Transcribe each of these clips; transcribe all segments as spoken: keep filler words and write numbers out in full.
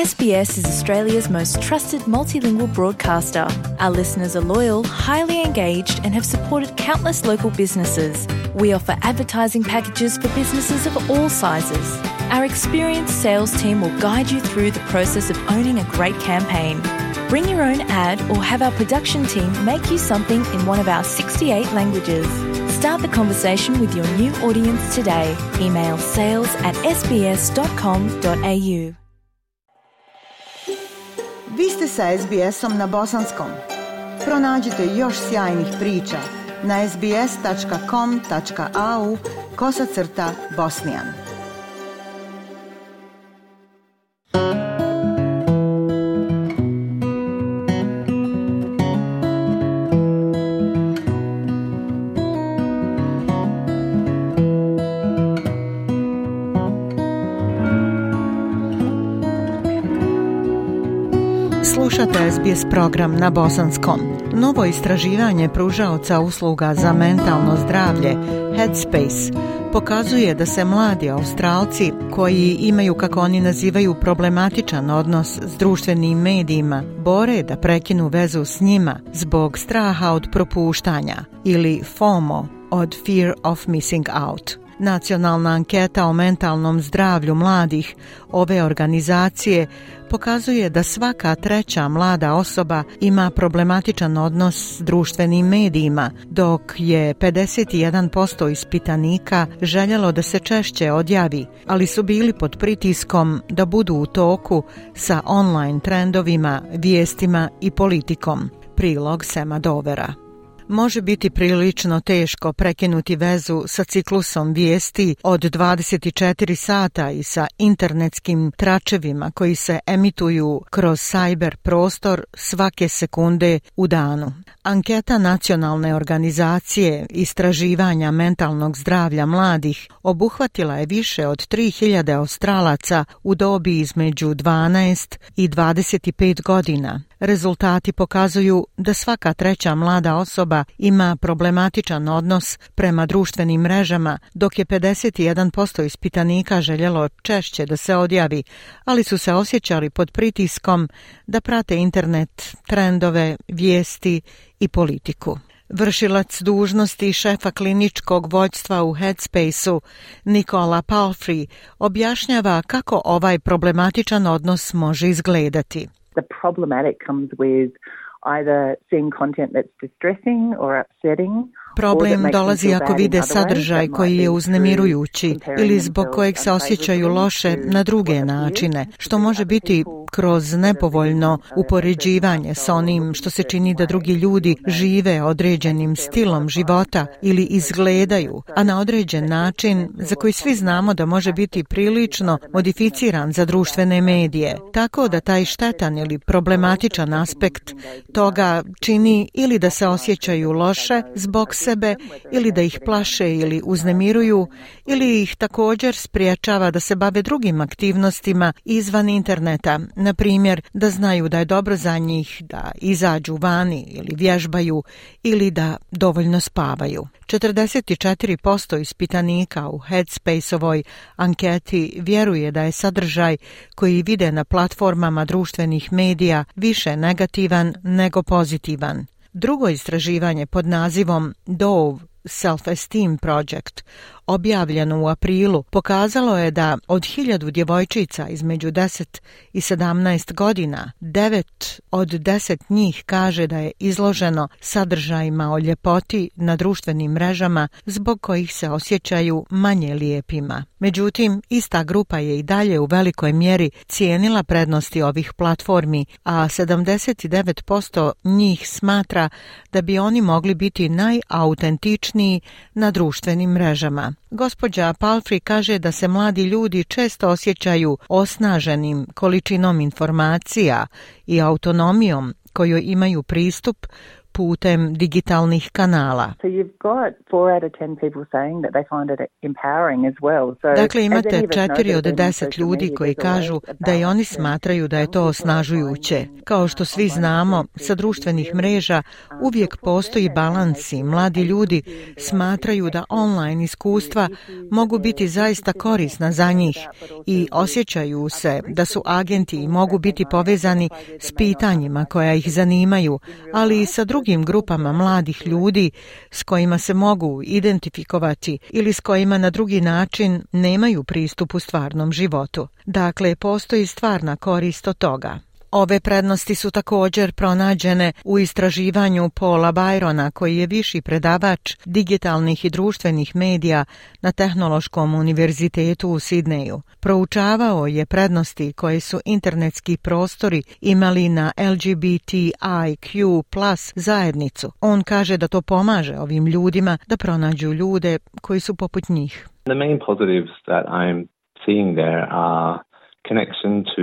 S B S is Australia's most trusted multilingual broadcaster. Our listeners are loyal, highly engaged, and have supported countless local businesses. We offer advertising packages for businesses of all sizes. Our experienced sales team will guide you through the process of owning a great campaign. Bring your own ad or have our production team make you something in one of our sixty-eight languages. Start the conversation with your new audience today. Email sales at s b s dot com dot a u. Vi ste sa S B S-om na bosanskom. Pronađite još sjajnih priča na s b s dot com dot a u kosacrta bosnijan. Slušate S B S program na bosanskom. Novo istraživanje pružaoca usluga za mentalno zdravlje Headspace pokazuje da se mladi Australci koji imaju, kako oni nazivaju, problematičan odnos s društvenim medijima, bore da prekinu vezu s njima zbog straha od propuštanja ili FOMO, od Fear of Missing Out. Nacionalna anketa o mentalnom zdravlju mladih ove organizacije pokazuje da svaka treća mlada osoba ima problematičan odnos s društvenim medijima, dok je pedeset jedan posto ispitanika željelo da se češće odjavi, ali su bili pod pritiskom da budu u toku sa online trendovima, vijestima i politikom. Prilog Sema Dovera. Može biti prilično teško prekinuti vezu sa ciklusom vijesti od dvadeset četiri sata i sa internetskim tračevima koji se emituju kroz cyber prostor svake sekunde u danu. Anketa Nacionalne organizacije istraživanja mentalnog zdravlja mladih obuhvatila je više od tri hiljade Australaca u dobi između dvanaest i dvadeset pet godina. Rezultati pokazuju da svaka treća mlada osoba ima problematičan odnos prema društvenim mrežama, dok je pedeset jedan posto ispitanika željelo češće da se odjavi, ali su se osjećali pod pritiskom da prate internet, trendove, vijesti i politiku. Vršilac dužnosti šefa kliničkog vođstva u Headspace-u, Nicola Palfrey, objašnjava kako ovaj problematičan odnos može izgledati. The problematic comes with either seeing content that's distressing or upsetting. Problem dolazi ako vide sadržaj koji je uznemirujući ili zbog kojeg se osjećaju loše na druge načine, što može biti kroz nepovoljno upoređivanje sa onim što se čini da drugi ljudi žive određenim stilom života ili izgledaju, a na određen način za koji svi znamo da može biti prilično modificiran za društvene medije, tako da taj štetan ili problematičan aspekt toga čini ili da se osjećaju loše zbog sebe ili da ih plaše ili uznemiruju ili ih također spriječava da se bave drugim aktivnostima izvan interneta, na primjer da znaju da je dobro za njih da izađu vani ili vježbaju ili da dovoljno spavaju. četrdeset četiri posto ispitanika u Headspace-ovoj anketi vjeruje da je sadržaj koji vide na platformama društvenih medija više negativan nego pozitivan. Drugo istraživanje pod nazivom Dove Self-Esteem Project, objavljeno u aprilu, pokazalo je da od hiljadu djevojčica između deset i sedamnaest godina, devet od deset njih kaže da je izloženo sadržajima o ljepoti na društvenim mrežama zbog kojih se osjećaju manje lijepima. Međutim, ista grupa je i dalje u velikoj mjeri cijenila prednosti ovih platformi, a sedamdeset devet posto njih smatra da bi oni mogli biti najautentičniji na društvenim mrežama. Gospođa Palfrey kaže da se mladi ljudi često osjećaju osnaženim količinom informacija i autonomijom kojoj imaju pristup putem digitalnih kanala. So you've got four out of ten people saying that they find it empowering as well. So dakle, imate četiri od deset ljudi koji kažu da i oni smatraju da je to osnažujuće. Kao što svi znamo, sa društvenih mreža uvijek postoji balans i mladi ljudi smatraju da online iskustva mogu biti zaista korisna za njih i osjećaju se da su agenti i mogu biti povezani s pitanjima koja ih zanimaju, ali i sa drugim grupama mladih ljudi s kojima se mogu identifikovati ili s kojima na drugi način nemaju pristup u stvarnom životu. Dakle, postoji stvarna korist od toga. Ove prednosti su također pronađene u istraživanju Paula Byrona, koji je viši predavač digitalnih i društvenih medija na Tehnološkom univerzitetu u Sidneju. Proučavao je prednosti koje su internetski prostori imali na L G B T I Q plus zajednicu. On kaže da to pomaže ovim ljudima da pronađu ljude koji su poput njih. The main positives that I'm seeing there are connection to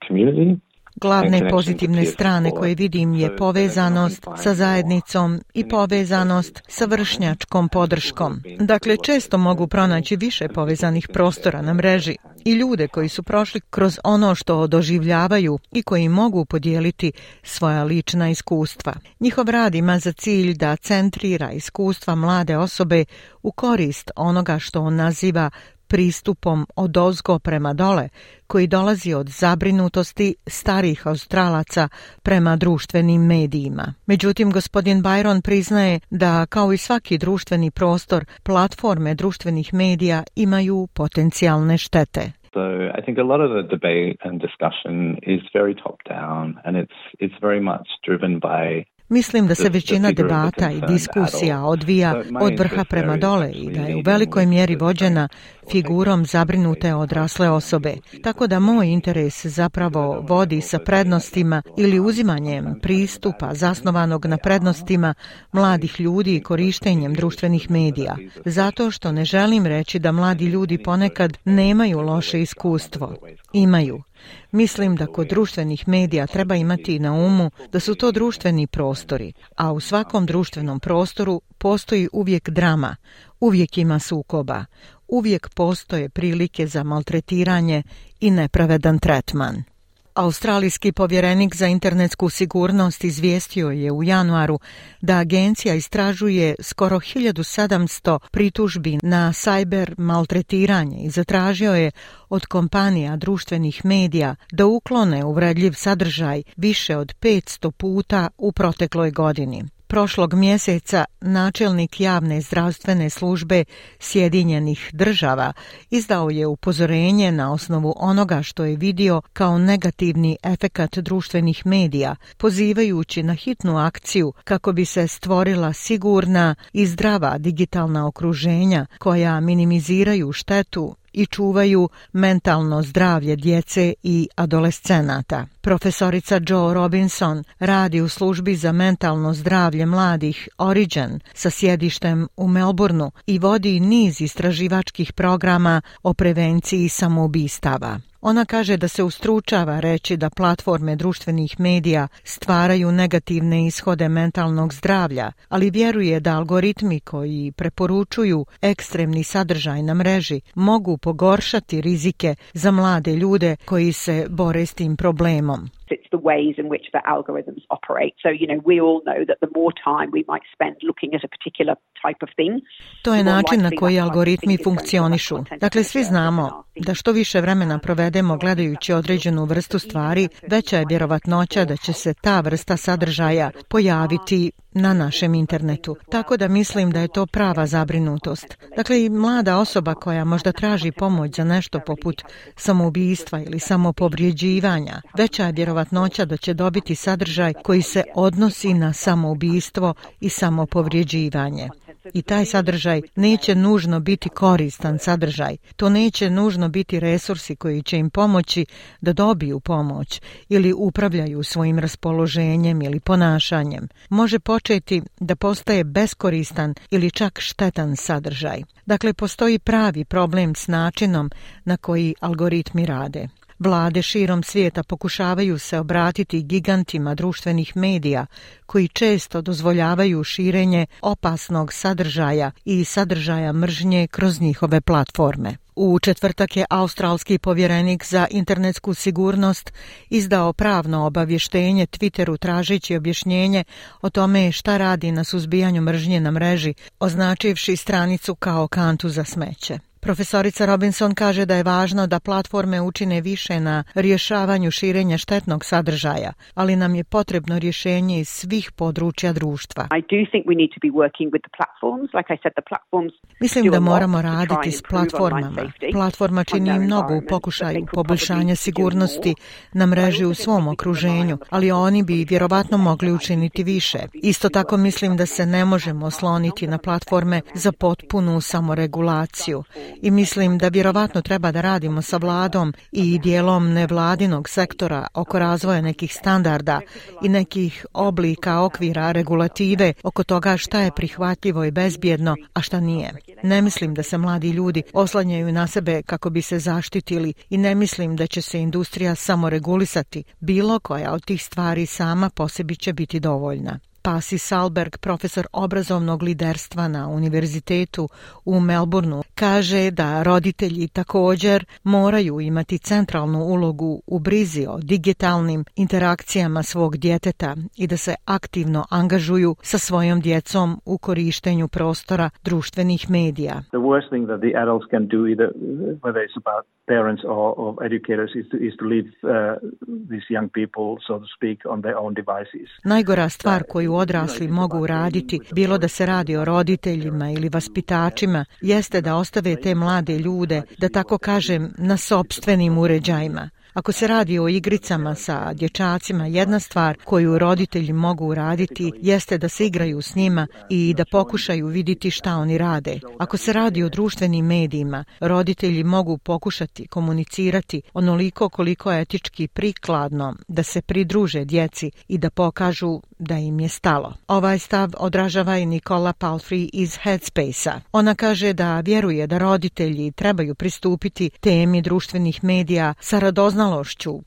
community. Glavne pozitivne strane koje vidim je povezanost sa zajednicom i povezanost sa vršnjačkom podrškom. Dakle, često mogu pronaći više povezanih prostora na mreži i ljude koji su prošli kroz ono što doživljavaju i koji mogu podijeliti svoja lična iskustva. Njihov rad ima za cilj da centrira iskustva mlade osobe u korist onoga što on naziva pristupom odozgo prema dole, koji dolazi od zabrinutosti starih Australaca prema društvenim medijima. Međutim, gospodin Byron priznaje da, kao i svaki društveni prostor, platforme društvenih medija imaju potencijalne štete. So I think a lot of the debate and discussion is very top down and it's it's very much driven by Mislim da se većina debata i diskusija odvija od vrha prema dole i da je u velikoj mjeri vođena figurom zabrinute odrasle osobe. Tako da moj interes zapravo vodi sa prednostima ili uzimanjem pristupa zasnovanog na prednostima mladih ljudi i korištenjem društvenih medija. Zato što ne želim reći da mladi ljudi ponekad nemaju loše iskustvo. Imaju. Mislim da kod društvenih medija treba imati na umu da su to društveni prostori, a u svakom društvenom prostoru postoji uvijek drama, uvijek ima sukoba, uvijek postoje prilike za maltretiranje i nepravedan tretman. Australijski povjerenik za internetsku sigurnost izvijestio je u januaru da agencija istražuje skoro hiljadu sedamsto pritužbi na sajber maltretiranje i zatražio je od kompanija društvenih medija da uklone uvredljiv sadržaj više od petsto puta u protekloj godini. Prošlog mjeseca načelnik javne zdravstvene službe Sjedinjenih država izdao je upozorenje na osnovu onoga što je vidio kao negativni efekat društvenih medija, pozivajući na hitnu akciju kako bi se stvorila sigurna i zdrava digitalna okruženja koja minimiziraju štetu i čuvaju mentalno zdravlje djece i adolescenata. Profesorica Jo Robinson radi u službi za mentalno zdravlje mladih Origin sa sjedištem u Melbourneu i vodi niz istraživačkih programa o prevenciji samoubistava. Ona kaže da se ustručava reći da platforme društvenih medija stvaraju negativne ishode mentalnog zdravlja, ali vjeruje da algoritmi koji preporučuju ekstremni sadržaj na mreži mogu pogoršati rizike za mlade ljude koji se bore s tim problemom. It's the ways in which the algorithms operate. So, you know, we all know that the more time we might spend looking at a particular type of thing. To je način na koji algoritmi funkcionišu. Dakle, svi znamo da što više vremena provedemo gledajući određenu vrstu stvari, veća je vjerovatnoća da će se ta vrsta sadržaja pojaviti na našem internetu. Tako da mislim da je to prava zabrinutost. Dakle, i mlada osoba koja možda traži pomoć za nešto poput samoubistva ili samopovrijeđivanja, veća je vjerovatnoća da će dobiti sadržaj koji se odnosi na samoubistvo i samopovrijeđivanje. I taj sadržaj neće nužno biti koristan sadržaj. To neće nužno biti resursi koji će im pomoći da dobiju pomoć ili upravljaju svojim raspoloženjem ili ponašanjem. Može početi da postaje beskoristan ili čak štetan sadržaj. Dakle, postoji pravi problem s načinom na koji algoritmi rade. Vlade širom svijeta pokušavaju se obratiti gigantima društvenih medija koji često dozvoljavaju širenje opasnog sadržaja i sadržaja mržnje kroz njihove platforme. U četvrtak je australski povjerenik za internetsku sigurnost izdao pravno obavještenje Twitteru tražeći objašnjenje o tome šta radi na suzbijanju mržnje na mreži, označivši stranicu kao kantu za smeće. Profesorica Robinson kaže da je važno da platforme učine više na rješavanju širenja štetnog sadržaja, ali nam je potrebno rješenje iz svih područja društva. Mislim da moramo raditi s platformama. Platforma čini mnogo u pokušaju poboljšanja sigurnosti na mreži u svom okruženju, ali oni bi vjerovatno mogli učiniti više. Isto tako mislim da se ne možemo osloniti na platforme za potpunu samoregulaciju. I mislim da vjerovatno treba da radimo sa vladom i dijelom nevladinog sektora oko razvoja nekih standarda i nekih oblika, okvira, regulative oko toga šta je prihvatljivo i bezbjedno, a šta nije. Ne mislim da se mladi ljudi oslanjaju na sebe kako bi se zaštitili i ne mislim da će se industrija samoregulisati. Bilo koja od tih stvari sama po sebi će biti dovoljna. Pasi Salberg, profesor obrazovnog liderstva na univerzitetu u Melbourneu, kaže da roditelji također moraju imati centralnu ulogu u brizi o digitalnim interakcijama svog djeteta i da se aktivno angažuju sa svojom djecom u korištenju prostora društvenih medija. The worst thing that the adults can do, either whether it's about parents or, or educators, is to, is to leave uh, these young people, so to speak, on their own devices. Najgora stvar koju odrasli mogu uraditi, bilo da se radi o roditeljima ili vaspitačima, jeste da ostave te mlade ljude, da tako kažem, na sopstvenim uređajima. Ako se radi o igricama sa dječacima, jedna stvar koju roditelji mogu uraditi jeste da se igraju s njima i da pokušaju vidjeti šta oni rade. Ako se radi o društvenim medijima, roditelji mogu pokušati komunicirati onoliko koliko je etički prikladno da se pridruže djeci i da pokažu da im je stalo. Ovaj stav odražava i Nicola Palfrey iz Headspace-a. Ona kaže da vjeruje da roditelji trebaju pristupiti temi društvenih medija sa radoznalošću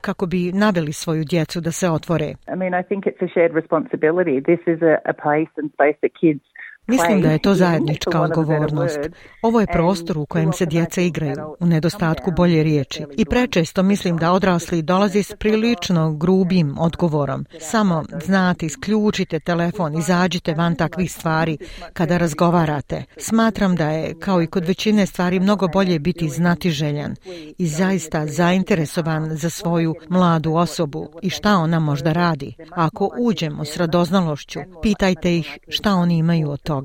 kako bi naveli svoju djecu da se otvore. I mean, I think it's a shared responsibility. This is a, a place and space that kids Mislim da je to zajednička odgovornost. Ovo je prostor u kojem se djeca igraju, u nedostatku bolje riječi. I prečesto mislim da odrasli dolaze s prilično grubim odgovorom. Samo, znate, isključite telefon, izađite van takvih stvari kada razgovarate. Smatram da je, kao i kod većine stvari, mnogo bolje biti znatiželjan i zaista zainteresovan za svoju mladu osobu i šta ona možda radi. A ako uđemo s radoznalošću, pitajte ih šta oni imaju od toga.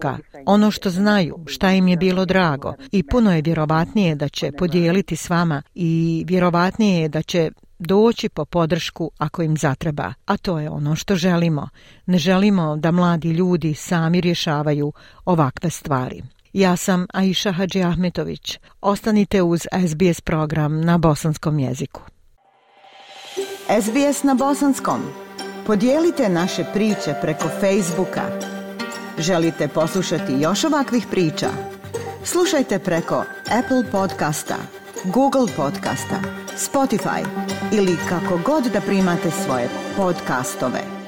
Ono što znaju, šta im je bilo drago i puno je vjerovatnije da će podijeliti s vama i vjerovatnije je da će doći po podršku ako im zatreba. A to je ono što želimo. Ne želimo da mladi ljudi sami rješavaju ovakve stvari. Ja sam Aisha Hadži Ahmetović. Ostanite uz S B S program na bosanskom jeziku. S B S na bosanskom. Podijelite naše priče preko Facebooka. Želite poslušati još ovakvih priča? Slušajte preko Apple podcasta, Google podcasta, Spotify ili kako god da primate svoje podcastove.